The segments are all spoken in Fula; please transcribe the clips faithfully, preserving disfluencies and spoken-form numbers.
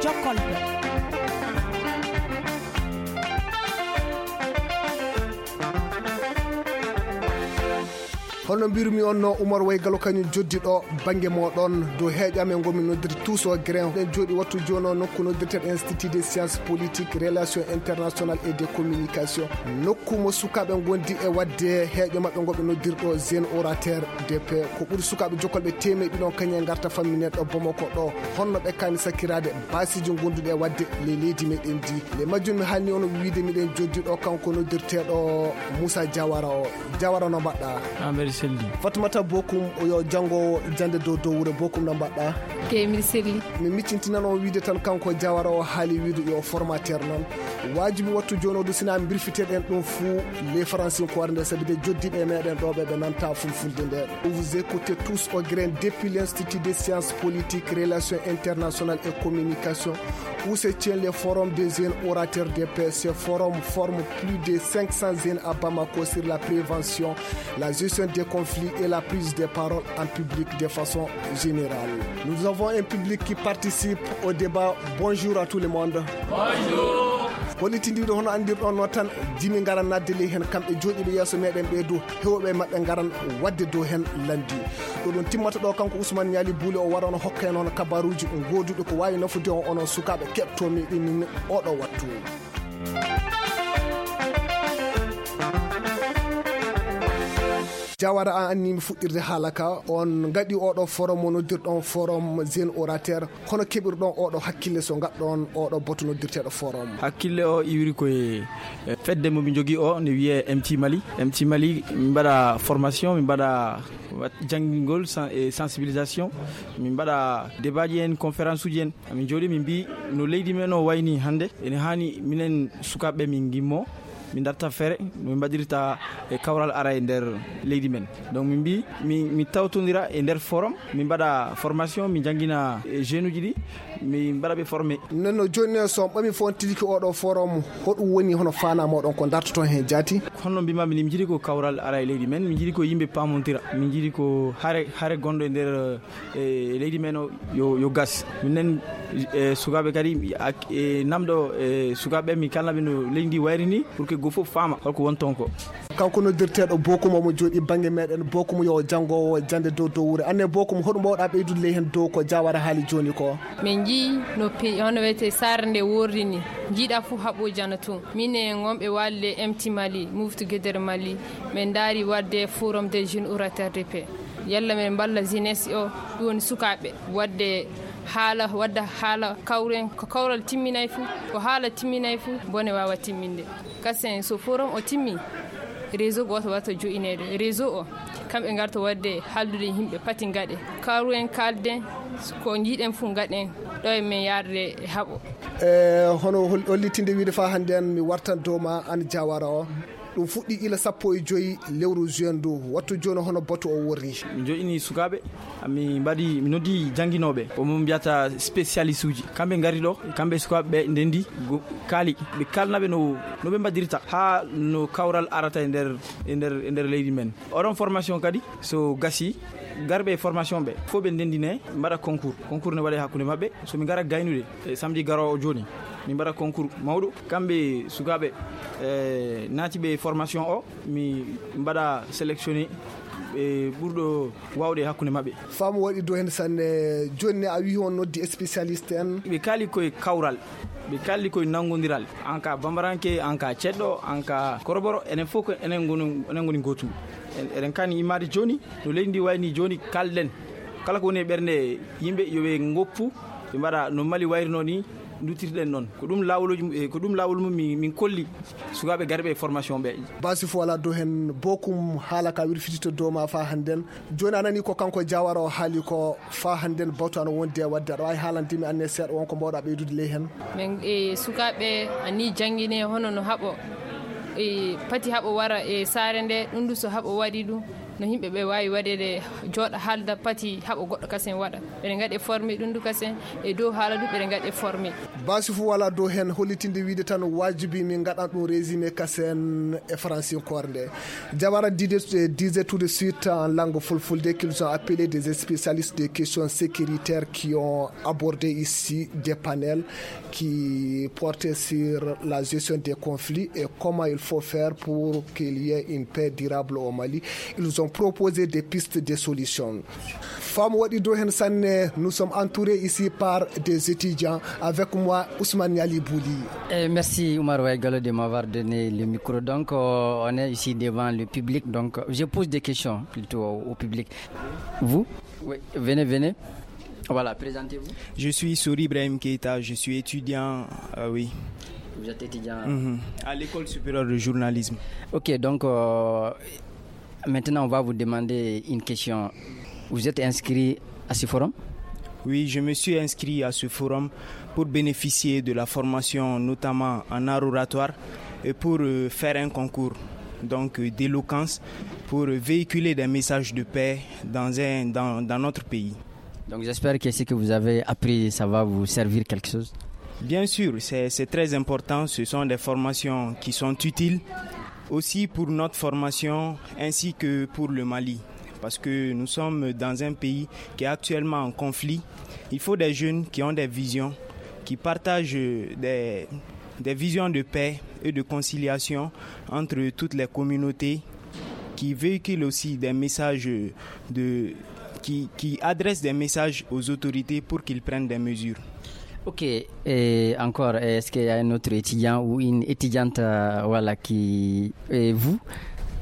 Jokkol. Hono mbirmi on no Umar Way Galo kañum joddi ɗo bannge mooɗon dow heeƴo amen ngonmi noddirde Tous au Grain. Ɗen jooɗi wattu jooni o nokku noddirteɗo Institut des Sciences Politiques, Relations Internationales et de Communication. Nokku mo sukaaɓe ngondi e waɗde heeƴo maɓɓe ngo ɓe noddirɗo jeune orateur D P. Ko ɓuri sukaaɓe jokkolɓe teemeɗɗi ɗon kañum e ngarta famminee ɗo Bamako ɗo. Honno ɓe kaani sakkiraade baasiiji ngonduɗi e waɗde ley leydi meɗen ndi. Nde majjum mi haalni on wiide miɗen joddi ɗo kanko noddirteeɗo Moussa Diawara o. Diawara no mbaɗɗa? A mbeɗa selli. Fatmata Bokum o yo janngo jannde dow dow wure Bokum no mbaɗɗa? Te miɗa selli. Mi miccintinan on wiide tan kanko Diawara o haali wiide yo formateur noon. Waajibi wattu jooni o du sina mbirfiteɗen ɗum fuu le faransinkoore nde sabi de joddiiɓe meɗen ɗo ɓe ɓe nanta fulfulde nde. Vous écoutez Tous au Grain depuis l'Institut des Sciences Politiques, Relations Internationales et Communication, où se tient le Forum des jeunes orateurs de paix. Ce forum forme plus de cinq cents jeunes à Bamako sur la prévention, la gestion des conflits et la prise de parole en public de façon générale. Nous avons un public qui participe au débat. Bonjour à tout le monde. Bonjour. Hollitindiiɗo hono anndirɗon noon tan, jimi ngaran nadde ley heen kamɓe jooɗiiɓe yeeso meɗen ɓee dow. Heewɓe maɓɓe ngaran waɗde dow heen lanndi. Ɗo ɗum timmata ɗo kanko Ousmane Ñaali Buuli o wara on hokka en on kabaruuji gooduɗo ko waawi nafude on onon sukaaɓe keɓtoomi ɗin oɗo wattu. Jawara an anni mi fuɗɗirde haala ka on ngaɗi oɗo forum mo noddirɗon forum jeune orateur. Hono keɓirɗon oɗo hakkille so ngaɗɗon oɗo boto noddirteeɗo forum? Hakkille o iwri ko e e fedde mo mi jogii o ne wiyee M T Mali. M T Mali, min mbaɗa formation, min mbaɗa wat- janngingol sen- e sensibilisation, min mbaɗa débat ji en, conférence uji en. Min jooɗi min mbi no leydi men o wayni hannde, ene haani minen sukaaɓe min ngimmo, min darta feere no min mbaɗirta e kawral ara e nder leydi men. Donc min mbi mi, mi tawtondira e nder forum, min mbaɗa formation, min janngina e jeune uji ɗi, min mbaɗa ɓe formé. Nenno jooni ne so on ɓami fof on tiliki oɗo forum, hoɗum woni hono faana moɗon ko dartoton heen jaati? Honno mbimami ni, min jiɗi ko kawral ara e leydi men, min jiɗi ko yimɓe paamontira, min jiɗi ko hare hare gonɗo e nder e leydi men o yo, yo gas. Minen e sukaaɓe kadi ak- e namɗo e sukaaɓe ɓe mi kalna ɓe no leydi ndi wayri ni pour que go fof faama holko woni toon ko. Kanko noddirteeɗo Bokum omo jooɗi bannge meɗen. Bokum yo janngowo jannde dow dow wure. Anne Bokum, hoɗum mbawɗa ɓeydude ley heen dow ko Jawara haali jooni ko? Min njii no pe- hono wiyetee saare nde worri ni. Njiiɗa fof haɓooji ana toon. Min e wonɓe waalde M T Mali, Muftu Gedere Mali, min ndaari waɗde forum des jeunes orateurs de paix. Yalla min mballa jeunesse o, ɗum woni sukaaɓe, waɗde haala, wadda haala kawren, ko kawral timminay fof, ko haala timminay fof, bone waawa timminde. Kasen so forum o timmi, réseau gooto waɗata joɗineede. Réseau o, kamɓe ngarta waɗde haaldude yimɓe pati ngaɗe. Kawren kaalden, ko njiiɗen fof ngaɗen, ɗo e men yaarde e haɓo. E hono hol- hollitinde wiide faa hannde an mi wartan dow ma an Jawara o. Ɗum fuɗɗi ila sappo e joyi lewru juin ndu. Wattu jooni hono batu o worri? Mi joƴini sukaaɓe, mi mbaɗi, mi noddi jannginooɓe, ko mo mbiyata spécialiste uji. Kamɓe ngari ɗo, kamɓe sukaaɓe ɓe ndendi, go- kaali, ɓe kalna ɓe no, no ɓe mbaɗirta haa no kawral arata e nder, e nder, e nder leydi men. Oɗon formation kadi, so gasi, garɓe e formation ɓe, fof ɓe ndendine, mbaɗa concours. Concours ne waɗe hakkunde maɓɓe. So mi ngara gaynude, e samedi garoowo jooni, mi mbaɗa concours mawɗo. Kamɓe sukaaɓe, e, naatiɓe formation o, mi mbaɗa sélectionné, e, ɓurɗo waawde e hakkunde maɓɓe. Faamu waɗi dow heen sanne. Jooni ne a wii on noddi spécialiste en. Ɓe kaali koye kawral, ɓe kaali koye nanngondiral. An ka bambaranke, an ka ceɗɗo, an ka koroboro, enen fof ko enen ngoni, enen ngoni gootum. En, eɗen kaani immaade jooni, no leydi ndi wayni jooni, kalɗen. Kala ko woni e ɓernde yimɓe, yo ɓe ngoppu, ɓe mbaɗa no Mali wayrino ni, nduttirɗen noon. Ko ɗum laawoluuji mu-, e, ko ɗum laawol mum min, min kolli sukaaɓe garɓe e formation ɓe. Baasi fof alaa dow heen, Bokum haala ka wirfitito dow ma faa hannden. Jooni a nanii ko kanko Jawara o haali ko faa hannden, batu ana wondi e waɗde. Aɗa waawi haalande mi anne seeɗa won ko mbaawɗa ɓeydude ley heen? Min, e, sukaaɓe a nii janngine hono no haɓo. E pati haɓo wara e saare nde, ɗum du so haɓo waɗi ɗum, no yimɓe ɓe waawi waɗeede, jooɗa haalda pati haɓo goɗɗo kasen waɗa. Ɓeɗe ngaɗe formé ɗum du kasen, e dow haala du ɓeɗe ngaɗe formé. Basi fu wala dow hen, hollitinde wiide tan waajibi min ngaɗan ɗum résumé kasen e faransinkoore nde. Jawara dide, disait tout de suite en langue fulfulde qu'ils ont appelé des spécialistes des questions sécuritaires qui ont abordé ici des panels qui portaient sur la gestion des conflits et comment il faut faire pour qu'il y ait une paix durable au Mali. Ils ont proposé des pistes de solutions. Femme Wadi Dohen Sané, nous sommes entourés ici par des étudiants. Avec moi, Ousmane Yali Bouli. Et merci Oumar Waïgalo de m'avoir donné le micro. Donc, euh, on est ici devant le public. Donc, je pose des questions plutôt au, au public. Vous ? Oui, venez, venez. Voilà, présentez-vous. Je suis Souri Ibrahim Keita, je suis étudiant, euh, oui. Vous êtes étudiant ? Mhm. À l'école supérieure de journalisme. Ok, donc euh, maintenant on va vous demander une question. Vous êtes inscrit à ce forum ? Oui, je me suis inscrit à ce forum pour bénéficier de la formation, notamment en art oratoire, et pour euh, faire un concours donc euh, d'éloquence pour véhiculer des messages de paix dans, un, dans, dans notre pays. Donc j'espère que ce que vous avez appris, ça va vous servir quelque chose. Bien sûr, c'est c'est très important. Ce sont des formations qui sont utiles aussi pour notre formation ainsi que pour le Mali. Parce que nous sommes dans un pays qui est actuellement en conflit. Il faut des jeunes qui ont des visions, qui partagent des, des visions de paix et de conciliation entre toutes les communautés, qui véhiculent aussi des messages de, qui, qui adressent des messages aux autorités pour qu'ils prennent des mesures. Ok, et encore, est-ce qu'il y a un autre étudiant ou une étudiante euh, voilà, qui... Et vous ?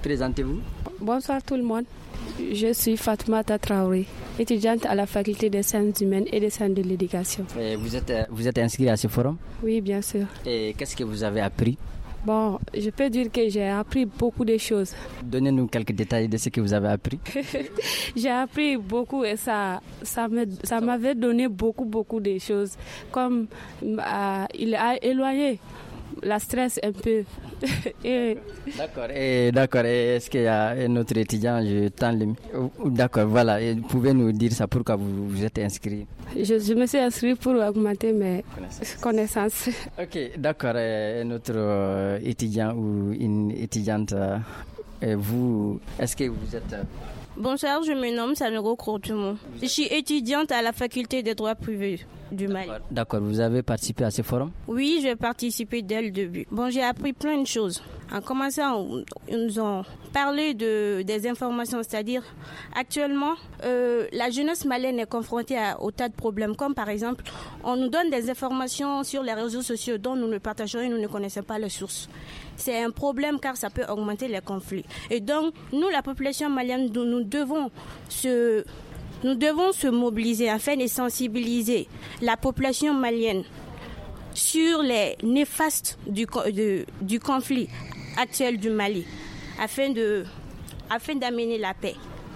Présentez-vous. Bonsoir tout le monde. Je suis Fatma Tatraoui, étudiante à la faculté des sciences humaines et des sciences de l'éducation. Et vous êtes, euh, vous êtes inscrit à ce forum ? Oui, bien sûr. Et qu'est-ce que vous avez appris ? Bon, je peux dire que j'ai appris beaucoup de choses. Donnez-nous quelques détails de ce que vous avez appris. J'ai appris beaucoup et ça, ça me- ça m'avait donné beaucoup, beaucoup de choses. Comme euh, il a éloigné la stress un peu. Et D'accord, et d'accord, et est-ce qu'il y a un autre étudiant ? Je tends le mi- D'accord, voilà, et pouvez-nous dire ça, pourquoi vous vous êtes inscrit ? je, je me suis inscrite pour augmenter mes connaissances. Ok, d'accord, euh, un autre euh, étudiant ou une étudiante, euh, euh, vous, est-ce que vous êtes... euh, Bonsoir, je me nomme Sanogo Courtumont. Je suis étudiante à la faculté des droits privés du Mali. D'accord, vous avez participé à ce forum ? Oui, j'ai participé dès le début. Bon, j'ai appris plein de choses. En commençant, ils nous ont parlé de, des informations, c'est-à-dire actuellement, euh, la jeunesse malienne est confrontée à, au tas de problèmes, comme par exemple, on nous donne des informations sur les réseaux sociaux dont nous ne partageons et nous ne connaissons pas les sources. C'est un problème car ça peut augmenter les conflits. Et donc, nous, la population malienne, nous, nous devons se, nous devons se mobiliser afin de sensibiliser la population malienne sur les néfastes du, co- de- du conflit actuel du Mali afin de, afin d'amener la paix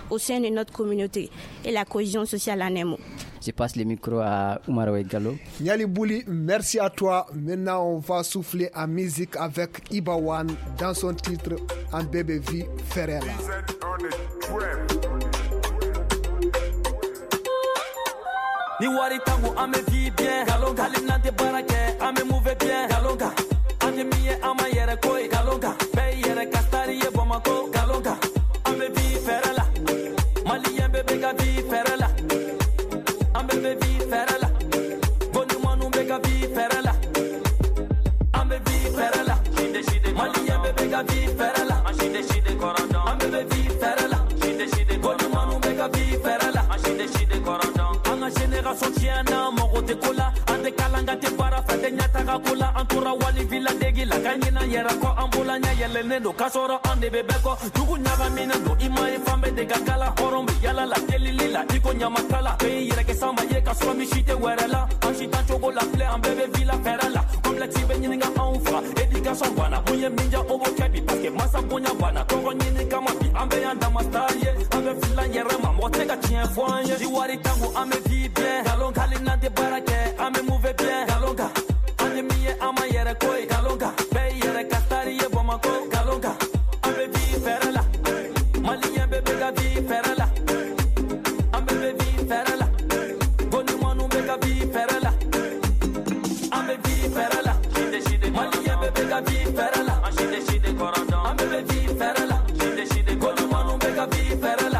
au sein de notre communauté et la cohésion sociale en un mot. Je passe le micro à Oumar Gallo. Niali Bouli, merci à toi. Maintenant, on va souffler en musique avec Ibawan dans son titre En Bébé Vie Ferrella. Ni wari tangu ame vie bien. Galonga. Halim nante barake ame move bien. Galonga. Ande miye ama yere koi. Galonga. Be yere kastari ye Bamako. Galonga. Ame vie Ferrella. Malien bebe ga vie Ferrella. Ame be vie Ferrella. Goni manu be ga vie Ferrella. Ame vie Ferrella. Malien bebe ga vie Ferrella. Ame be vie Ferrella. Goni manu be ga vie Ferrella. An ka génération tiɲɛna, mɔgɔ tɛ ko la. An tɛ kalan, an tɛ baara fɛ, tɛ ɲɛtaga ko la. An tora wali villa degi la, ka ɲinɛ yɛrɛ kɔ. An bolola ɲɛ yɛlɛnnen don, k'a sɔrɔ an de bɛ bɛɛ kɔ. Dugu ɲagaminen don, i ma ye fan bɛɛ de ka kalan. Hɔrɔn bɛ yala la, delili la, i ko ɲamakala. Bɛɛ y'i yɛrɛ kɛ sanba ye, ka sɔrɔ misi tɛ wɛrɛ la. An si tan cogo la filɛ, an bɛɛ bɛ villa fɛɛrɛ la. Complexe bɛ ɲininka anw fa, éducation banna. Mun ye min diya, o b'o kɛ bi, parce que masa bonya banna. Tɔgɔ ɲini kama bi, an bɛ yan dama star ye. An bɛ villa yɛrɛ ma, mɔgɔ tɛ ka tiɲɛ fɔ an ye. Ni wari tangu, an bɛ vie bien. Galon kali n'an tɛ baara kɛ, an bɛ move bien. Galon kan, an ye min ye, an ma yɛrɛ ko ye. Galon kan, bɛɛ y'i yɛrɛ ka star ye Bamakɔ. An bɛ vi fɛɛrɛ la. An bɛ vi fɛɛrɛ la. Gɔnimanu bɛ ka vi fɛɛrɛ la. An bɛ vi fɛɛrɛ la. Maliyɛn bɛɛ bɛ ka vi fɛɛrɛ la. An bɛɛ bɛ vi fɛɛrɛ la. Gɔnimanu bɛ ka vi fɛɛrɛ la.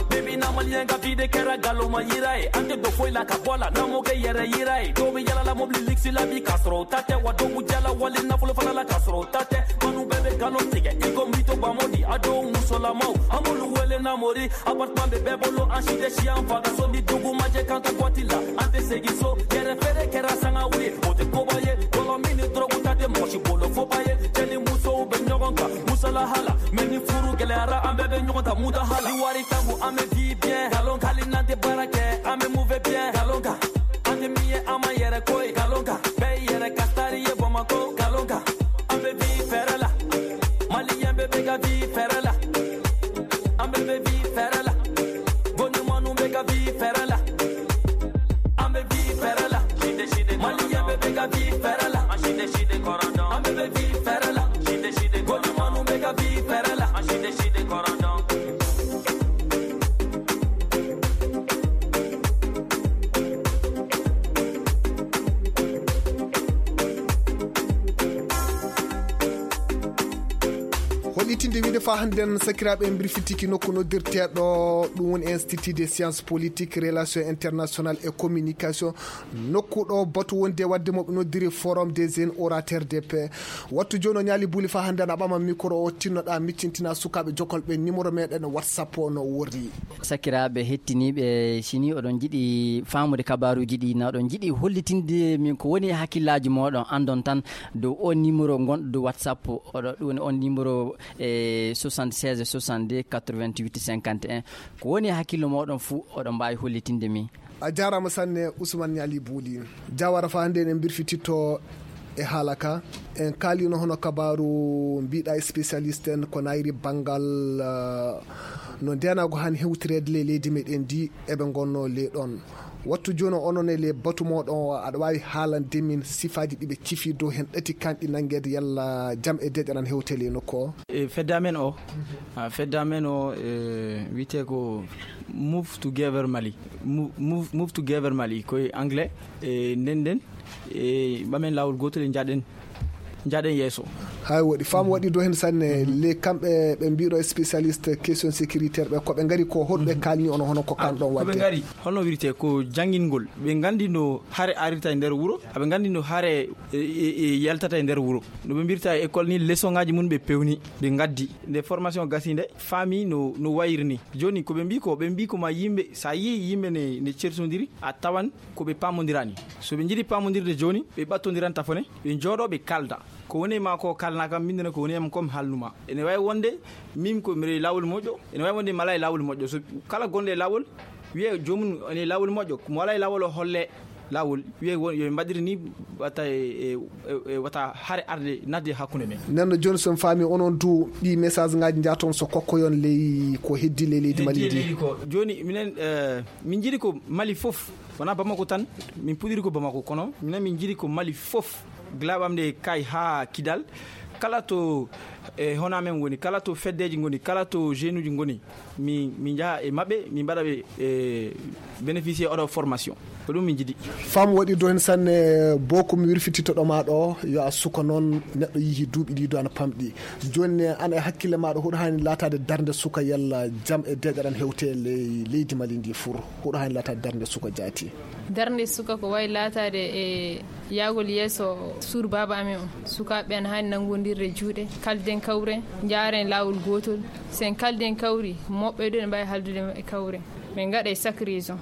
Bi bi in na, Maliyɛn ka vi de kɛra nkalon ma yira ye. An tɛ don foyi la ka bɔ a la, n'an m'o kɛ yɛrɛ yira ye. Dɔw bɛ yala la mobili luxe la bi, k'a sɔrɔ u ta tɛ, wa dɔw b'u jala wali nafolo fana la, k'a sɔrɔ u ta tɛ. Manu bɛɛ bɛ nkalon tigɛ, i ko Mito Bamodi, a dɔw musolamaw, an b'olu wele Namori. Appartement bɛ bɛɛ bolo, an si tɛ si an fa ka so. Ni dugu ma jɛ k'an to boîte la, an tɛ segin so. Yɛrɛ feere kɛra sanga wuli, o tɛ koba ye. Bɔlɔ min ni dɔrɔgu ta tɛ mɔgɔ si bolo foba ye. Cɛ ni musow bɛ ɲɔgɔn kan, musalaha la. Mais ni furu gɛlɛyara, an bɛɛ bɛ ɲɔgɔn ta mutaha la. Ni wari tangu, an bɛ vie bien. Nkalon hali n'an tɛ baara kɛ, an bɛ mauvais bien. Nkalon kan, an tɛ min ye, an ma yɛrɛ ko ye. Nkalon kan, bɛɛ y'i yɛrɛ ka star ye Bamakɔ. Nkalon kan, an bɛ vie fɛɛrɛ la. Maliyɛn bɛɛ bɛ ka vie fɛɛrɛ la. An bɛɛ bɛ vie fɛɛrɛ la. Gɔnimanu bɛ ka vie fɛɛrɛ la. An bɛ vie fɛɛrɛ la. Maliyɛn bɛɛ bɛ ka vie fɛɛrɛ la. An bɛɛ bɛ vie fɛɛrɛ la. Gɔnimanu bɛ ka vie fɛɛrɛ la. Hollitinde wiide fa hannden, sakiraaɓe, en mbirfitiki nokku noddirteeɗo, ɗum woni Institut de Sciences Politiques, Relations Internationales et Communication. Nokku ɗo batu wonde waɗde mo ɓe noddiri Forum des Jeunes Orateurs de Paix. Wattu jooni o ñaali buuli fa hannden, a ɓama micro o, tinnoɗa miccintina sukaaɓe jokolɓe numéro meɗen WhatsApp o no worri. Sakiraaɓe hettiniiɓe, si ni oɗon njiɗi faamude kabaaruuji ɗi, na oɗon njiɗi hollitinde min ko woni e hakkillaaji mooɗon, anndon tan dow o numéro ngonɗo dow WhatsApp, oɗo, ɗum woni on numéro e soixante-seize soixante-deux quatre-vingt-huit cinquante et un. Ko woni e hakkillo mooɗon fuu, oɗon mbaawi hollitinde min. A jaaraama sanne, Ousmane Niali Bouli. Jawara fa hannde en mbirfititto e haala ka. En kaalino hono kabaaru mbiɗa spécialiste en ko nayri banngal, eh, no ndeenaagu han hewtireede le leydi meɗen ndi, eɓe ngonno le ɗon. Wattu jooni onon e le batu moɗon o, aɗa waawi haalande min sifaaji ɗi ɓe cifi dow hen ɗati kanɗi nanngeede yalla jam e deeƴa nan hewte le nokku o? E fedde amen o, a, fedde amen o, e, wiyetee ko Move Together Mali. Mo-, Move, Move Together Mali, ko e anglais. E, nden nden, e, ɓamen laawol gootol e njaɗen, njaɗen yeeso. Hay waɗi, faamu waɗi dow hen sanne. Mhm. Le kamɓe ɓe mbiɗo spécialiste question sécuritaire ɓe, ko ɓe ngari ko, hoɗo ɓe, mhm, kaalni on hono ko kan ɗon ko ɓe waɗde? Ngari, holno wirte ko janngingol. Ɓe nganndi no hare arirta e nder wuro, aɓe nganndi no hare, e, e, e yaltata e nder wuro. No ɓe mbirta e école ni, leçon ngaji mun ɓe pewni, ɓe ngaddi. Nde formation gasi nde, faami no, no wayri ni. Jooni ko ɓe mbi ko, ɓe mbi ko ma yimɓe, sa yii yimɓe ne, ne cersondiri, a tawan ko ɓe paamondirani. So ɓe njiɗi paamondirde jooni, ɓe ɓattondiran tafone, ɓe njooɗo, ɓe kalda. Ko woni e ma ko kalna kam, min ne ko woni e am ko mi haalnuma. Ene wawi wonde min ko mbiɗa e laawol moƴƴo, ene wawi wonde mi ala e laawol moƴƴo. So kala gonɗo e laawol, wiye joomum ene e laawol moƴƴo, mo ala e laawol o holle laawol, wiye won, yo mbaɗir ni, wata e, e, e, e wata hare arde nadde hakkunde men. Nden no jooni, so mi faami, onon du ɗi message ngaji njaton so kokkoyon ley ko heddi ley leydi Mali ndi. Heddi leydi ko. Jooni minen, eh, min njiɗi ko Mali fof, wona Bamako tan, min puɗiri ko Bamako, kono minen min njiɗi ko Mali fof, gila ɓamde kay haa Kidal, kala to, e, hono amen woni, kala to feddeji ngoni, kala to jeunuji ngoni, mi, mi njaha e maɓɓe, mi mbaɗa ɓe, e, bénéficier oɗo formation. Ko ɗum min njiɗi. Faamu waɗi dow hen sanne, boko mi wirfititto ɗo ma ɗo, yo a suka noon, neɗɗo yihi duuɓi ɗi do ana pamɗi. Jooni ne, an e hakkille maɗa, huɗo hani laatade darnde suka yalla jam e deeƴa ɗan hewte ley-, leydi Mali ndi fur? Huɗo hani laatade darnde suka jaati? Darnde suka ko wayi laataade e yahgol yeeso suur baaba amen o. Sukaaɓe ana haani nanngondirde juuɗe, kalden kawren, njaaren laawol gootol. So en kaldi en kawri, moɓɓe ɗo ene mbaawi haaldude e maɓɓe kawren. Min ngaɗa e chaque région.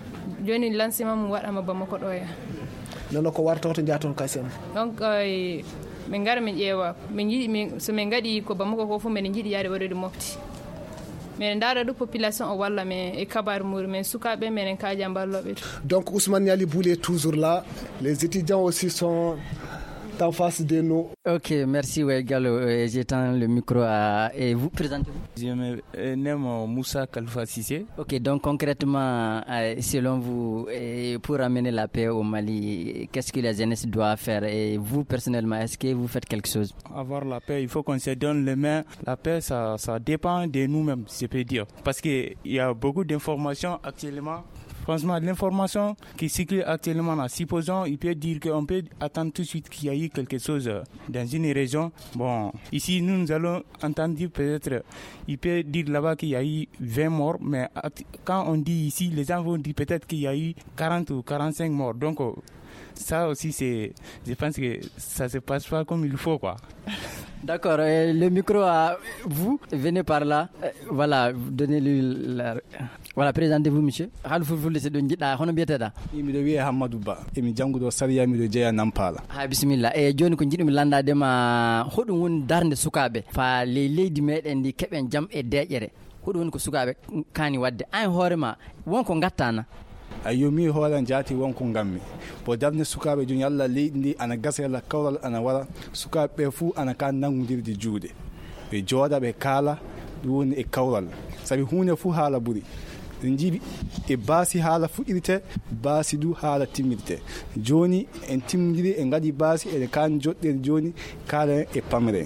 Jooni lancement mum waɗaama Bamako ɗo ya. Nono ko warta hoto njaaton kasen? Donc, eh, min ngara min ƴeewa. Min njiɗi, min, so min ngaɗi ko Bamako ko fof, min njiɗi yaade waɗude mofte. Min ndaara ɗo population o walla min e kabaar muuri, min sukaaɓe, min en kaaja mballooɓe to. Donc, Ousmane Niali Boulé toujours là. Les étudiants aussi sont en face de nous. Ok, merci, ouais, Gallo. Euh, j'étends le micro à, et vous, présentez-vous. Je me euh, nomme Moussa Kalfa Cissé. Ok, donc concrètement, euh, selon vous, euh, pour amener la paix au Mali, qu'est-ce que la jeunesse doit faire ? Et vous, personnellement, est-ce que vous faites quelque chose ? Avoir la paix, il faut qu'on se donne les mains. La paix, ça, ça dépend de nous-mêmes, je peux dire. Parce qu'il y a beaucoup d'informations actuellement. Franchement, l'information qui circule actuellement, là, supposons, il peut dire qu'on peut attendre tout de suite qu'il y a eu quelque chose euh, dans une région. Bon, ici, nous, nous allons entendre dire peut-être, il peut dire là-bas qu'il y a eu vingt morts, mais act- quand on dit ici, les gens vont dire peut-être qu'il y a eu quarante ou quarante-cinq morts. Donc, euh, ça aussi, c'est, je pense que ça se passe pas comme il faut, quoi. D'accord, euh, le micro à vous, venez par là. Euh, voilà, donnez-lui la... Voilà, présentez-vous, monsieur. Haalu fulfulde, so ɗum njiɗɗa, hono mbiyeteɗa? Miɗo wiyee Hammadou Ba, emi jannguɗo sariya, miɗo jeyaa Nampala. Ha, bisimilla. E jooni ko njiɗumi lanndaade ma, hoɗum woni darnde sukaaɓe faa ley leydi meɗen ndi, keɓen jam e deeƴere? Hoɗum woni ko sukaaɓe kaani waɗde? An hoore ma, won ko ngattana? Ayyo, mi hoore am jaati won ko nganmi. Bo darnde sukaaɓe jooni, yalla leydi ndi ana gasa, yalla kawral ana wara, sukaaɓe ɓe fuu ana ka nanngondirde juuɗe. Ɓe jooɗa, ɓe kaala, ɗum woni e kawral. Sabi huunde fuu haala ɓuri. En njiɗi e baasi haala fuɗɗirte, baasi du haala timmirte. Jooni en timmondiri, en ngaɗi baasi, eɗen kaani joɗɗere jooni, kaalen e pamre.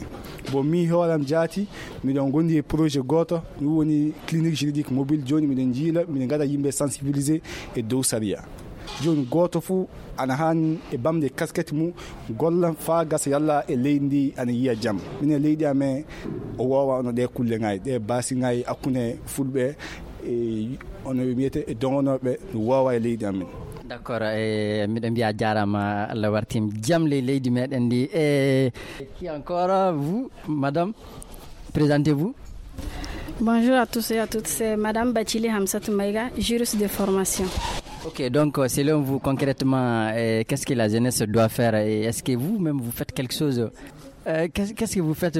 Bon, mi hooram jaati, miɗon gondi e projet gooto, ɗum woni clinique juridique mobile. Jooni miɗen njiila, miɗen ngaɗa yimɓe sensibiliser e dow sariya. Jooni gooto fuu ana haani e bamde kasket mum, golla faa gasa yalla e leydi ndi ana yiya jam. Minen leydi amen o woowa ono ɗee kulle ngaay, ɗee baasi ngaay hakkunde fulɓe e ono wiyete e dogonooɓe no woowa e leydi amen. D'accord, e miɗo mbiya jaaraama, Allah wartim jam ley leydi meɗen ndi. E qui encore, vous, madame? Présentez-vous. Bonjour à tous et à toutes, c'est Madame Bachili Hamsatou Maïga, juriste de formation. Ok, donc euh, selon vous concrètement, euh, qu'est-ce que la jeunesse doit faire et est-ce que vous-même vous faites quelque chose? Euh, qu'est-ce, qu'est-ce que vous faites?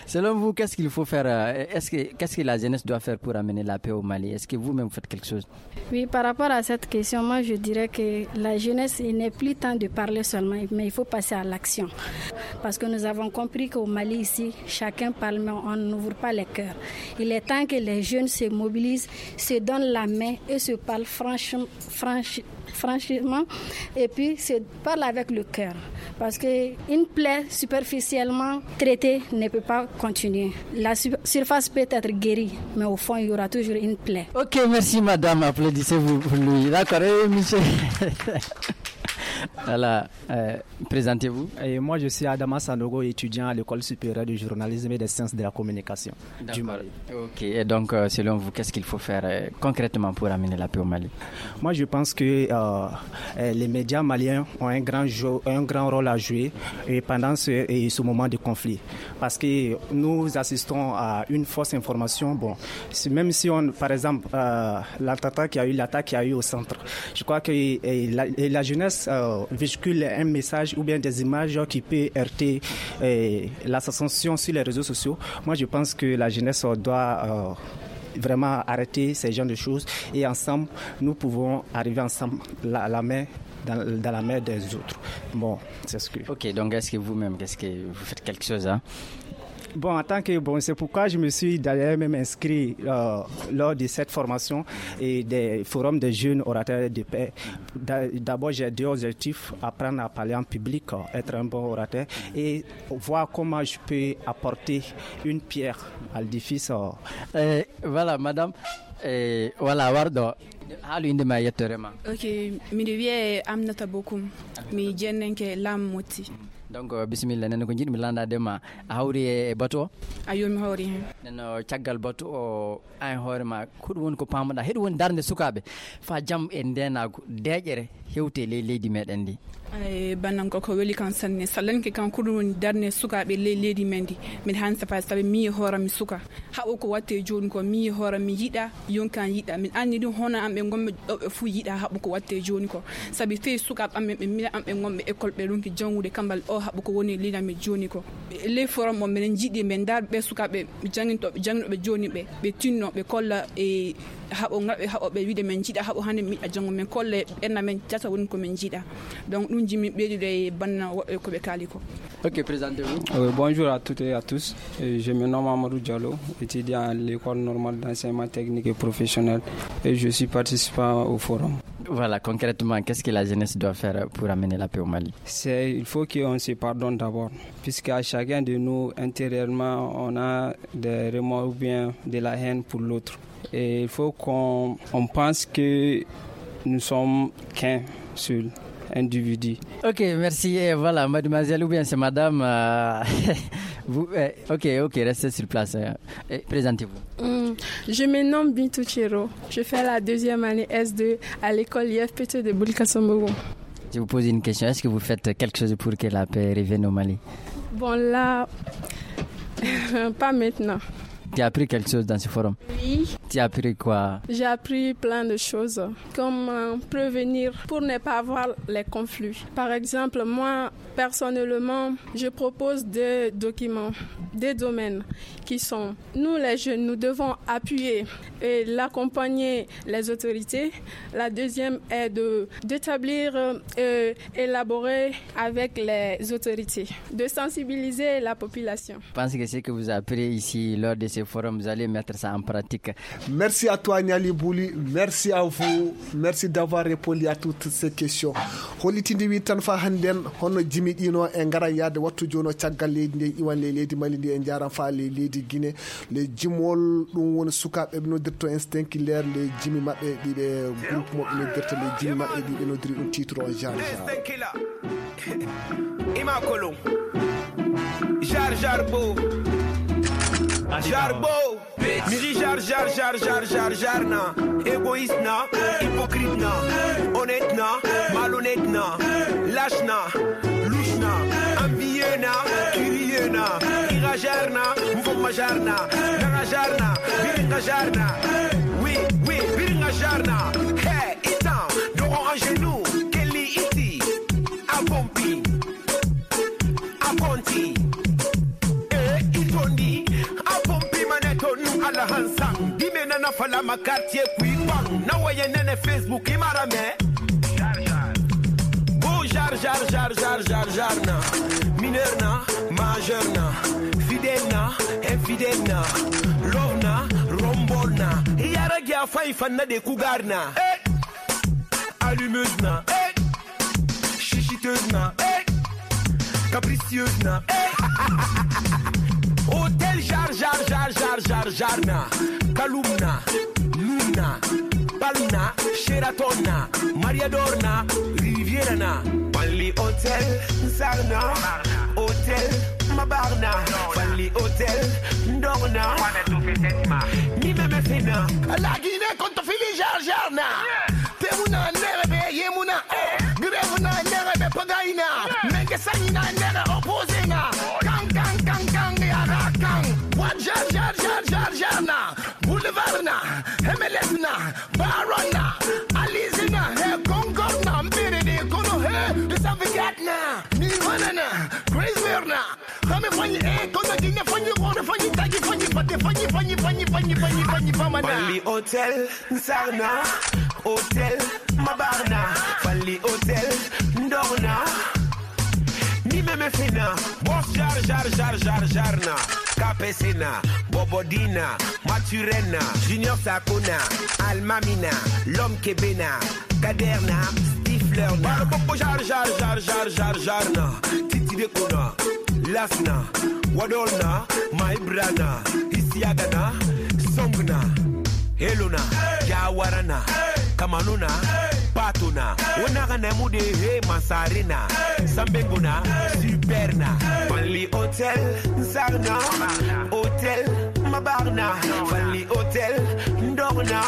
Selon vous, qu'est-ce qu'il faut faire? Euh, est-ce que, qu'est-ce que la jeunesse doit faire pour amener la paix au Mali? Est-ce que vous-même vous faites quelque chose? Oui, par rapport à cette question, moi je dirais que la jeunesse, il n'est plus temps de parler seulement, mais il faut passer à l'action. Parce que nous avons compris qu'au Mali ici, chacun parle, mais on n'ouvre pas les cœurs. Il est temps que les jeunes se mobilisent, se donnent la main et se parlent franchement, franchement, et puis se parlent avec le cœur. Parce qu'une plaie superficiellement traitée ne peut pas continuer. La surface peut être guérie, mais au fond, il y aura toujours une plaie. Ok, merci madame. Applaudissez-vous pour lui. D'accord, eh, monsieur. Voilà, euh, présentez-vous. Et moi, je suis Adama Sanogo, étudiant à l'École supérieure du journalisme et des sciences de la communication du Mali. Ok, et donc, euh, selon vous, qu'est-ce qu'il faut faire euh, concrètement pour amener la paix au Mali? Moi, je pense que euh, euh, les médias maliens ont un grand, jeu, un grand rôle à jouer et pendant ce, et ce moment de conflit. Parce que nous assistons à une fausse information. Bon, si, même si on, par exemple, euh, l'attentat qui a eu, l'attaque qui a eu au centre, je crois que euh, la, la jeunesse euh, véhicule un message ou bien des images qui peut heurter euh, la sensation sur les réseaux sociaux. Moi, je pense que la jeunesse doit euh, vraiment arrêter ces genres de choses et ensemble, nous pouvons arriver ensemble la, la main dans, dans la main des autres. Bon, c'est ce que... Ok, donc est-ce que vous-même, qu'est-ce que vous faites quelque chose hein? Bon, en tant que, bon, c'est pourquoi je me suis d'ailleurs même inscrit euh, lors de cette formation et des forums des jeunes orateurs de paix. D'abord, j'ai deux objectifs, apprendre à parler en public, euh, être un bon orateur et voir comment je peux apporter une pierre à l'édifice. Euh. Eh, voilà, madame. Eh, voilà, warɗo. Haalu innde ma e yettoore ma. Ok, miɗo wiyee Aminata Bokum. Mi jennenke Lam Motti. Donc, euh, bisimilla, nene ko njiɗmi lanndaade ma. A hawri e, e batu o? Ayo, mi hawri heen. Neno, caggal batu o, an hoore ma, ko ɗum woni ko paamuɗa? Heɗum woni darnde sukaaɓe faa jam e ndeenaagu, deeƴere hewte ley leydi meɗen ndi. Ay, bannan ko ko weli kan sanne. Salanke kan ko ɗum woni darnde sukaaɓe ley leydi men ndi. Miɗo han safa sabi mi hoora mi suka. Haɓo ko watte jooni ko mi hoora mi yiɗa, yonkan yiɗa. Min anndi ɗum hono an ɓe ngonɓe ɗo ɓe fuu yiɗa haɓo ko watte jooni ko. Sabi fey sukaaɓe amen ɓe mila an ɓe ngonɓe école ɓe ronki janngude kambal o haɓo ko woni lina mi joni ko. Ley forum o, minen jiiɗi min ndaar ɓe sukaaɓe jangintooɓe, jangintooɓe joni ɓe, ɓe tinno, ɓe kolla e haɓo ngal ɓe haɓo, ɓe wiide min jiiɗa haɓo hannde, min yiɗa janngo, min kolla e ɓenna min tata woni ko min jiiɗa. Donc, ɗum jimi ɓeydude e banna woɓɓe ko ɓe kaali ko. Ok, présentez-vous. Euh, bonjour à toutes et à tous. Euh, je me nomme Amadou Diallo, étudiant à l'école normale d'enseignement technique et professionnel, et je suis participant au forum. Voilà, concrètement, qu'est-ce que la jeunesse doit faire pour amener la paix au Mali? C'est, il faut qu'on se pardonne d'abord, puisque à chacun de nous, intérieurement, on a des remords ou bien de la haine pour l'autre. Et il faut qu'on on pense que nous sommes qu'un seul individu. Ok, merci. Et voilà, mademoiselle, ou bien c'est madame. Euh, vous, euh, ok, ok, restez sur place. Euh, et présentez-vous. Hmm, je me nomme Bintou Chiro. Je fais la deuxième année S deux à l'école I F P T de Boulkasombourou. Je vous pose une question. Est-ce que vous faites quelque chose pour que la paix revienne au Mali? Bon, là, pas maintenant. Tu as appris quelque chose dans ce forum? Oui. Tu as appris quoi? J'ai appris plein de choses, comme, euh, prévenir pour ne pas avoir les conflits. Par exemple, moi, personnellement, je propose des documents, des domaines qui sont, nous les jeunes, nous devons appuyer et l'accompagner les autorités. La deuxième est de, d'établir, euh, élaborer avec les autorités, de sensibiliser la population. Je pense que ce que vous apprenez ici lors de ce forum, vous allez mettre ça en pratique. Merci à toi, Niali Bouli. Merci à vous. Merci d'avoir répondu à toutes ces questions. Hollitinde wi tan fa hannden, hono jimi ɗino e ngara yaade wattu jono caggal leydi ndi, iwan ley leydi Mali ndi, e njaran fa ley leydi Guinée. Le jimol ɗum woni sukaaɓe ɓe noddirto instinct killer, le jimi maɓɓe ɗiɓe groupe mo ɓe noddirta, le jimi maɓɓe ɗiɓe noddiri ɗum titre o genre genre. Ima kolon. Jar jar bo. Jar bo. Miri jar jar jar jar jar jar na. Égoïste na, hypocrite na, honnête na, malhonnête na, lâche na, louche na, envieux na, curieux na, ira jar na, mfoma jar na, nanga jar na, biringa jar na. Oui, oui, biringa jar na. Hey, itan, dogo en genou, kelli iti, a pompi, a konti. Eh, itondi, a pompi mane tonu ala hansan. Dime nana falama quartier kui bang. Na waye nene Facebook imarame. Bo jar jar jar jar jar jar na. Mineur na, majeur na, fidèle na, infidèle na, love na, rombol na. Yara gya fai fanna de kugar na. Eh, allumeuse na. Eh, chichiteuse na. Eh, capricieuse na. Eh. Hôtel jar jar jar jar jar jar na. Kalum na. Luna. Palm na. Sheraton na. Mariador na. Riviera na. Only Hotel Sarna. Hotel Mabarna. Only Hotel Ndorna. Mi meme fena. La Guinée konto fili jar jar na. Temuna nere be yemuna. Grève na nere be pagaina. Menge sanina nere opposé na. Kang kang kang kang yara kang. Wa jar jar jar jar jar na. Boulevard na. M L S na. Baron na. Alize na. He Concord na. Mbere de kono he. De Savigat na. Nirvana na. Crazy na. Kame fanyi eh. Kono dine fanyi. Kono fanyi. Tagi fanyi. Pate fanyi. Fanyi fanyi fanyi fanyi fanyi fanyi pamana. Only Hotel Sarna, Hotel Mabarna, Fally Hotel Ndorna. Mi meme fena, boss jar jar jar jar jar na. Kapesena, Bobodina, Maturena, Junior Sakona, Almamina, L'homme Kebena, Kaderna, Stifler na. Baro popo jar jar jar jar jar jar na. Titi de kona, Lasna, Wadolna, Maibrana, Isiagana, Songna, Helona, Jawarana, Kamanona, Patona, Onagana Mude, He Mansarena, Sambengona, Superna, Fally Hotel Sarna, Hotel Mabarna, Fally Hotel Ndorna.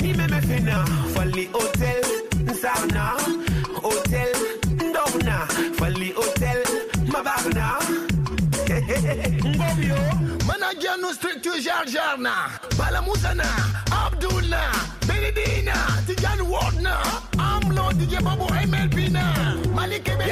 Mi meme fena, Fally Hotel Sarna, Hotel Ndorna, Fally Hotel Mabarna. Ngomyo. Mana Janu structure jar jar na. Bala Musa na, Abdul na, Benedina, Tijan Ward na. Amlo D J Bobo M L P na Malik Kebe.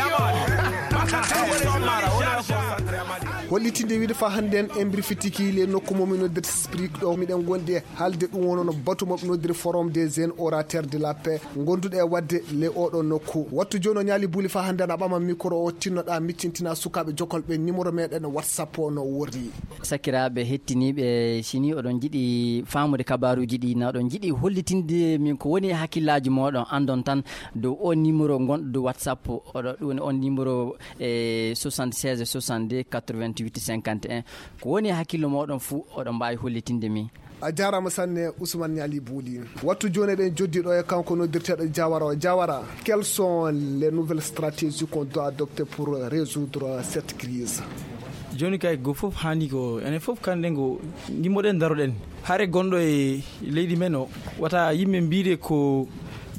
Hollitinde wiide fa hannde en e mbirfitiki le nokku momin noddirta sprik ɗo miɗen gondi e haalde ɗum wono no batu moɓe noddiri forum des jeunes orateur de la paix gonduɗo e wadde le oɗo nokku. Wattu jooni o ñaali buuli fa hannde en a ɓama micro o tinnoɗa miccintina sukaɓe jokolɓe numéro meɗen whatsapp o no worri. Sakiraaɓe hettiniiɓe, si ni oɗon njiɗi faamude kabaaruuji ɗi, na oɗon njiɗi hollitinde min ko woni e hakkillaaji mooɗon, anndon tan dow o numéro ngonɗo dow WhatsApp, oɗo, ɗum woni on numéro e soixante-seize soixante-deux quatre-vingt-huit cinquante et un. Ko woni e hakkillo mooɗon fuu, oɗon mbaawi hollitinde min. A jaaraama sanne, Ousmane Niali Bouli. Wattu jooni eɗen joddi ɗo e kanko noddirteeɗo Jawara o. Jawara, quelles sont les nouvelles stratégies qu'on doit adopter pour résoudre cette crise? Jooni kay, go fof haani ko, enen fof kanɗen ko ndimmoɗen, daroɗen. Hare gonɗo e leydi men o, wata yimɓe mbiide ko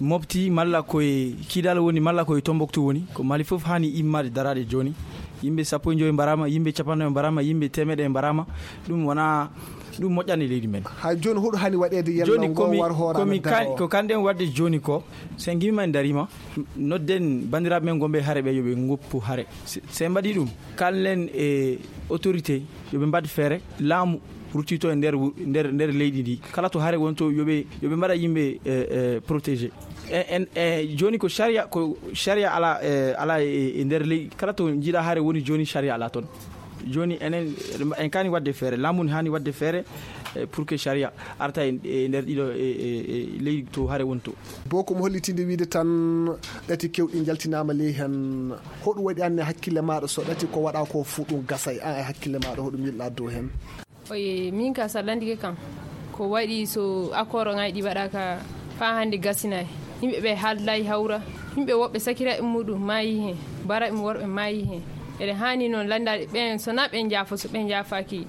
Mopti, malla ko e Kidal woni, malla ko e Tombouctou woni, ko Mali fof haani immaade daraade jooni. Yimɓe sappo e joyi mbaraama, yimɓe capanɗe nayi mbaraama, yimɓe teemeɗe mbaraama. Ɗum wona, ɗum moƴƴani leydi men. Hay jooni, hoɗum haani waɗeede yalla jooni? Komi, war hoore komi amen kan-, daro? Ko kanɗen waɗde jooni ko, so en ngimii en dariima, nodden banndiraaɓe men gonɓe hare ɓe, yo ɓe ngoppu hare. Se, se en mbaɗii ɗum, kallen e autorité, yo ɓe mbaɗ feere, laamu ruttito e nder wu-, nder, nder leydi ndi. Kala to hare woni to, yo ɓe, yo ɓe mbaɗa yimɓe, eh, eh, protégé. E, en, e, jooni ko sharia, ko sharia ala, eh, ala e, e nder leydi. Kala to njiɗa hare woni jooni, sharia ala toon. Jooni enen, en kaani waɗde feere, laamu ne haani waɗde feere, eh, pour que sharia arta e, e nder ɗiɗo, e, e, e leydi to hare woni to. Bokum hollitinde wiide tan ɗati kewɗi njaltinaama ley heen. Hoɗum waɗi aan e hakkille maaɗa so ɗati ko waɗa ko fuu ɗum gasay? Aan e hakkille maaɗa hoɗum yiɗɗa dow heen? Oye, min ka saɗandike kam, ko waɗi so accord ŋaaji ɗi waɗaaka faa hannde gasinaay. Yimɓe ɓe haaldaay hawra, yimɓe woɓɓe sakiraaɓe muɗum maayi heen, baraaɓe mum worɓe maayi heen. Eɗen haani noon lanndaade ɓeen, so na ɓe njaafo, so ɓe njaafaaki,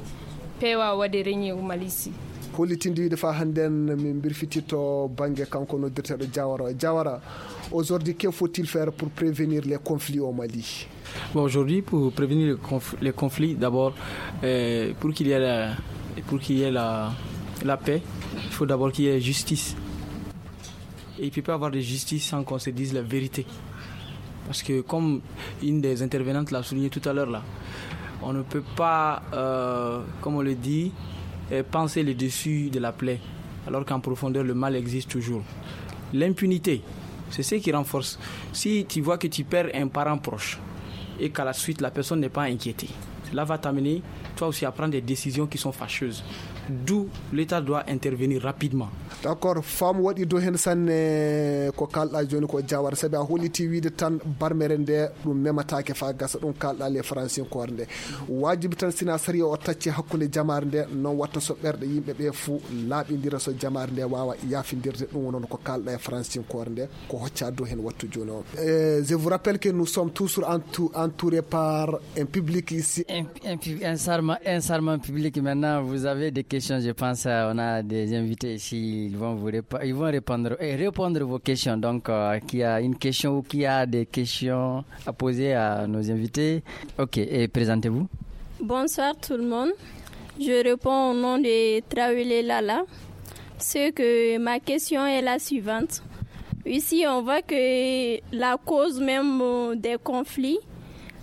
peewa waɗde reñe o Mali si. Hollitinde wiide faa hannde en min mbirfititto bannge kanko noddirteeɗo Jawara. Jawara, aujourd'hui, que faut-il faire pour prévenir les conflits au Mali? Bon, aujourd'hui, pour prévenir les conf-, les conflits, d'abord, euh, pour qu'il y ait la, pour qu'il y ait la, la paix, il faut d'abord qu'il y ait justice. Et il ne peut pas avoir de justice sans qu'on se dise la vérité. Parce que, comme une des intervenantes l'a souligné tout à l'heure là, on ne peut pas, euh, comme on le dit, euh, panser le dessus de la plaie, alors qu'en profondeur, le mal existe toujours. L'impunité, c'est ce qui renforce. Si tu vois que tu perds un parent proche et qu'à la suite, la personne n'est pas inquiétée, cela va t'amener, toi aussi, à prendre des décisions qui sont fâcheuses. D'où l'État doit intervenir rapidement. D'accord, faamu waɗi dow heen sanne ko kaalɗa jooni ko Jawara, sabi a holliti wiide tan barmere nde ɗum memataake faa gasa, ɗum kaalɗa le Faransinkoore nde. Waajibi tan sina sariya o tacci hakkunde jamaare nde, noon watta so ɓerɗe yimɓe ɓe fuu laaɓindira, so jamaare nde waawa yaafindirde, ɗum wonno ko kaalɗa e Faransinkoore nde, ko hocca dow heen wattu jooni o. Eh, je vous rappelle que nous sommes toujours entou-, entourés par un public ici. Un, un pub-, un charmant, un charmant public. Maintenant, vous avez des questions, je pense, euh, on a des invités ici, ils vont vous répa-, ils vont répondre et répondre vos questions. Donc, euh, qui a une question ou qui a des questions à poser à nos invités. Ok, et présentez-vous. Bonsoir tout le monde. Je réponds au nom de Traoré Lala. Ce que ma question est la suivante. Ici, on voit que la cause même, euh, des conflits,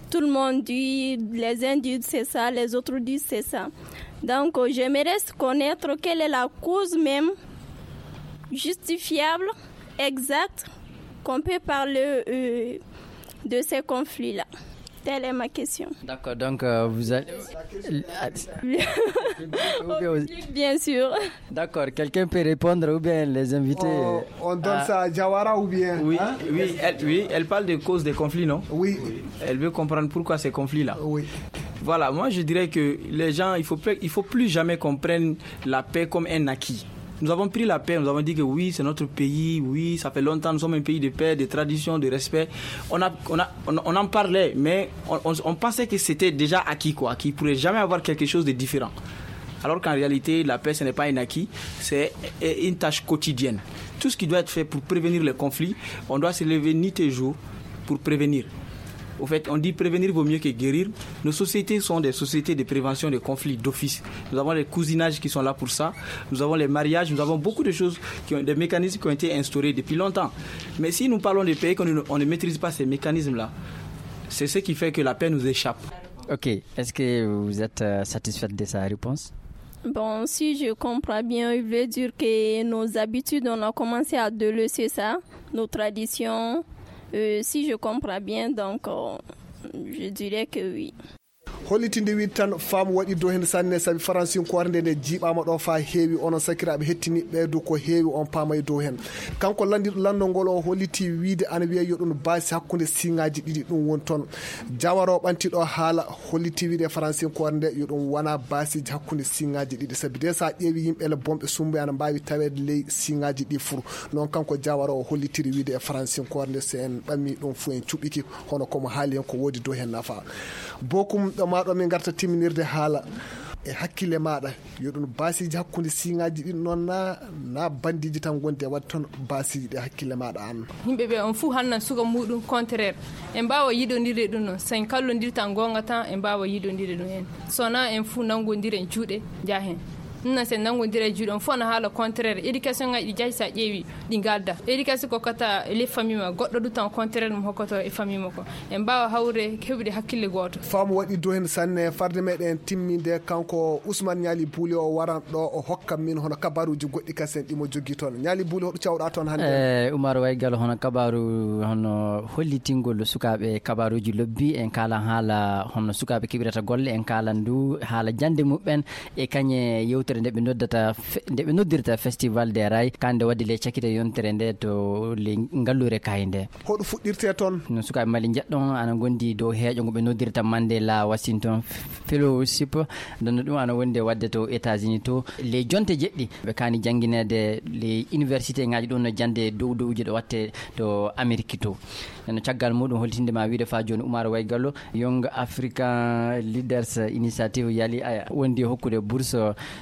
tout le monde dit, les uns disent c'est ça, les autres disent c'est ça. Donc, euh, j'aimerais connaître quelle est la cause même justifiable, exacte, qu'on peut parler, euh, de ces conflits-là. Telle est ma question. D'accord, donc, euh, vous allez... Bien sûr. D'accord, quelqu'un peut répondre ou bien les invités? On, on donne, ah, ça à Jawara ou bien, oui, hein? Oui, elle, oui, elle parle des causes des conflits, non? Oui. Elle veut comprendre pourquoi ces conflits-là. Oui. Voilà, moi je dirais que les gens, il faut, il faut plus jamais qu'on prenne la paix comme un acquis. Nous avons pris la paix, nous avons dit que oui, c'est notre pays, oui, ça fait longtemps, nous sommes un pays de paix, de tradition, de respect. On a, on a, on, on en parlait, mais on, on, on pensait que c'était déjà acquis, quoi, qu'il ne pourrait jamais avoir quelque chose de différent. Alors qu'en réalité, la paix, ce n'est pas un acquis, c'est une tâche quotidienne. Tout ce qui doit être fait pour prévenir les conflits, on doit se lever nuit et jour pour prévenir. Au fait, on dit prévenir vaut mieux que guérir. Nos sociétés sont des sociétés de prévention des conflits d'office. Nous avons les cousinages qui sont là pour ça. Nous avons les mariages. Nous avons beaucoup de choses, qui ont, des mécanismes qui ont été instaurés depuis longtemps. Mais si nous parlons des pays qu'on ne, on ne maîtrise pas ces mécanismes-là, c'est ce qui fait que la paix nous échappe. Ok, est-ce que vous êtes euh, satisfaite de sa réponse? Bon, si je comprends bien, il veut dire que nos habitudes, on a commencé à délaisser ça, nos traditions. Euh, si je comprends bien, donc euh, je dirais que oui. Hollitinde wiide tan faamu waɗi dow heen sanne, sabi faransinkoore nde nde jiiɓaama ɗo faa heewi. Onon sakiraaɓe hettiniiɓe ɓee du ko heewi on paamay dow heen. Kanko lanndiiɗo lanndol ngol o holliti wiide ana wiyee yo ɗum baasi hakkunde siŋaaji ɗiɗi ɗum woni toon. Jawara o ɓanti ɗo haala holliti wiide e faransinkoore nde yo ɗum wona baasiiji hakkunde siŋaaji ɗiɗi, sabi de so a ƴeewi yimɓe ele bonɓe sumbuɓe ana mbaawi taweede ley siŋaaji ɗi fur. Noon kanko jawara o hollitiri wiide e faransinkoore nde so en ɓammi ɗum fuu en cuɓɓiki hono ko mo haali heen ko woodi dow heen nafa. Bokum ɗo maa ɗo min ngarta timminirde haala e hakkille maaɗa yo ɗum baasiiji hakkunde siŋaaji ɗin noon na na banndiiji tan ngondi e waɗde toon baasiiji ɗi hakkille maaɗa aan. Yimɓe ɓe on fuu hannan suka muɗum contraire. En mbaawa yiɗondirde ɗum noon so en kallondirta goonga tan en mbaawa yiɗondirde ɗum en. So na en fuu nanngondira en juuɗe njahen. Ɗum noon so en nanngondira e juuɗe on fof na haala contraire éducation ngaji ɗi jahi so a ƴeewi ɗi ngalda éducation ko kata les famille ma goɗɗo du tan contraire mum hokkoto e famille makko. En mbaawa hawrude heɓude hakkille gooto. Faamu waɗi dow heen sanne. Farde meɗen timminde kanko Ousmane Ñaali Buuli o waran ɗo o hokka min hono kabaruuji goɗɗi kasen ɗi mo jogii toon. Ñaali Buuli hoɗo cawɗa toon hannde? E Umar Waygal hono kabaaru hono hollitingol sukaaɓe kabaruuji lobbi en kaala haala hono sukaaɓe keɓirata golle en kaala ndu haala jannde muɓɓen e kañe yewtere nde ɓe noddata nde ɓe noddirta festival des rails kande wadde le cakite yontere nde to le ngalluure kayi nde. Hoɗo fuɗɗirte toon? No sukaaɓe Mali njeɗɗon ana ngondi dow heeƴo ngo ɓe noddirta Mandela Washington Fellowship. Ndenno ɗum ana wondi e waɗde to États-Unis to ley jonte jeɗɗi ɓe kaani janngineede ley université ngaji ɗum no jannde dow dowji ɗo watte to Amérique to. Ndenno caggal muɗum holtinde ma wiide fa jooni Umar Waygallo Young African Leaders Initiative yali aya wondi e hokkude bourse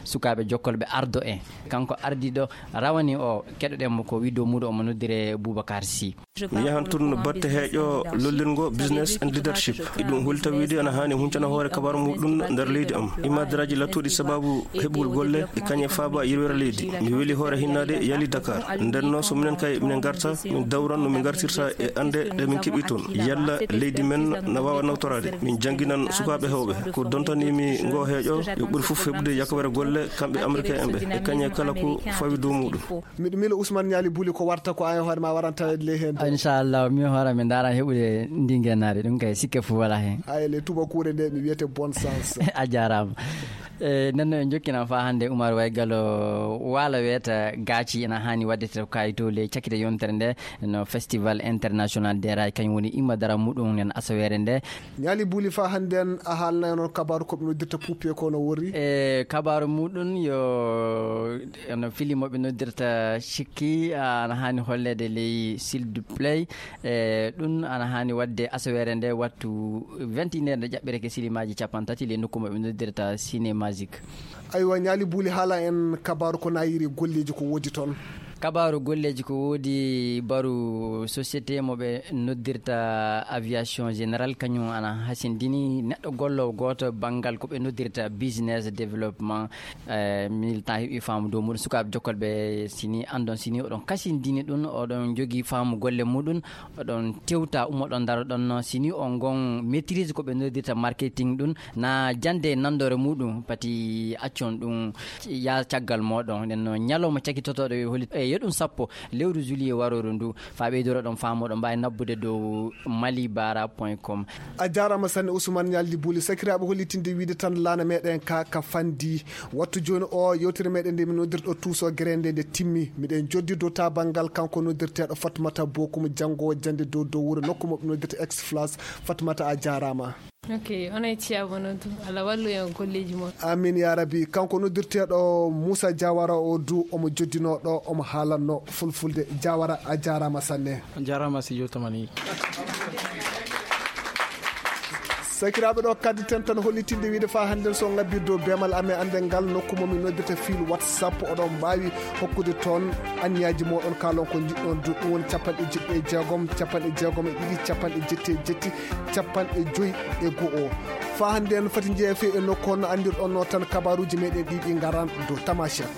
sukaaɓe jokkolɓe ardo en. Kanko ardiɗo rawani o keɗoɗen mo ko wiɗo muɗo omo noddire Boubacar Sy. Mi yahan tun batte heeƴo lollirngo business and leadership. Iɗum holi tawiide ana haani huncana hoore kabaru muɗum nder leydi am. Imadaraaji lattuɗi sababu heɓugol golle e kañe faaba yirwere leydi. Mi weli hoore hinnaade yali Dakar. Nden no so minen kay minen ngarta min dawran no min ngartirta e annde ɗe min keɓi toon. Yalla leydi men na waawa nawtoraade. Min jannginan sukaaɓe heewɓe. Ko dontanimi ngo heeƴo yo ɓuri fof heɓude yakawere golle kamɓe américain en ɓe e kañe kala ko fawi dow muɗum. Miɗo miilo Ousmane Ñaali Buli ko warta ko an e hoore ma waran taweede ley heen. Inchallah min hoore am mi ndaara heɓude ndi ngennaari ɗum kay sikke fof wala heen. Ay le tubakuure nde mi wiyete bonne chance. A jaaraama. E nden no en jokkinan faa hannde Umar Waygal waala weeta gaaci ena haani waɗde to kayito le cakite yontere nde no festival international des rails kañum woni imma dara muɗum nen asaweere nde. Ñaali Buli faa hannde en a haalnay noon kabaaru ko ɓe noddirta puupiye ko no worri? E kabaaru muɗum yo no fili mo ɓe noddirta sikki ana haani holleede ley sildu play. E ɗum ana haani waɗde asaweere nde wattu vingt et une heure nde ƴaɓɓireke silimaaji capanɗe tati ley nokku mo ɓe noddirta cinémagique. Aywa Ñaali Buli haala en kabaaru ko nayiri golleeji ko woodi toon? Kabaaru golleeji ko woodi baru société mo ɓe noddirta aviation générale kañum ana hasindini neɗɗo gollowo gooto banngal ko ɓe noddirta business développement. E militant heɓi faamu dow muɗum sukaaɓe jokkolɓe sini anndon sini oɗon kasindini ɗum oɗon jogii faamu golle muɗum. Oɗon tewta ummoɗon ndaroɗon no sini on ngon maîtrise ko ɓe noddirta marketing ɗum na jannde e nanndore muɗum pati accon ɗum. Ya caggal moɗon nden no ñalawma cakitotoɗo e holi e yeɗum sappo lewru juillet waroro ndu faa ɓeydoroɗon faamoɗon mbaawi nabbude dow mali bara point com. A jaaraama sanne Ousmane Ñaldi Buli. Sakiraaɓe hollitinde wiyde tan laana meɗen ka ka fanndi. Wattu jooni o yewtere meɗen nde min noddirɗo tuuso gere nde nde timmi. Miɗen joddi dow tabangal kanko noddirteeɗo Fatmata Bokum janngo jannde dow dow wuro nokku mo ɓe noddirta Exflas. Fatmata a jaaraama. Ok, onon e Thia Bono du, Allah wallu en e golleeji mon. Amin ya Rabbi. Kanko noddirteeɗo Moussa Diawara o du omo joddinoo ɗo omo haalanno fulfulde. Diawara a jaaraama sanne. On jaaraama Sidio Tamani. Sakiraaɓe, ɗo kadditen tan hollitinde wiide faa hannden so on ngabbii dow beemal amen annden ngal, nokku mo min noddata fil WhatsApp, oɗon mbaawi hokkude toon anniyaaji mooɗon, kaalon ko njiɗɗon du. Ɗum woni capanɗe jeɗɗi e jeegom, capanɗe jeegom e ɗiɗi, capanɗe jetti e jetti, capanɗe joy e go'o. Faa hannden fati njeeya fii e nokku on no anndirɗon no tan kabaaruuji meeɗen ɗii ɗi ngaran dow Tamashek.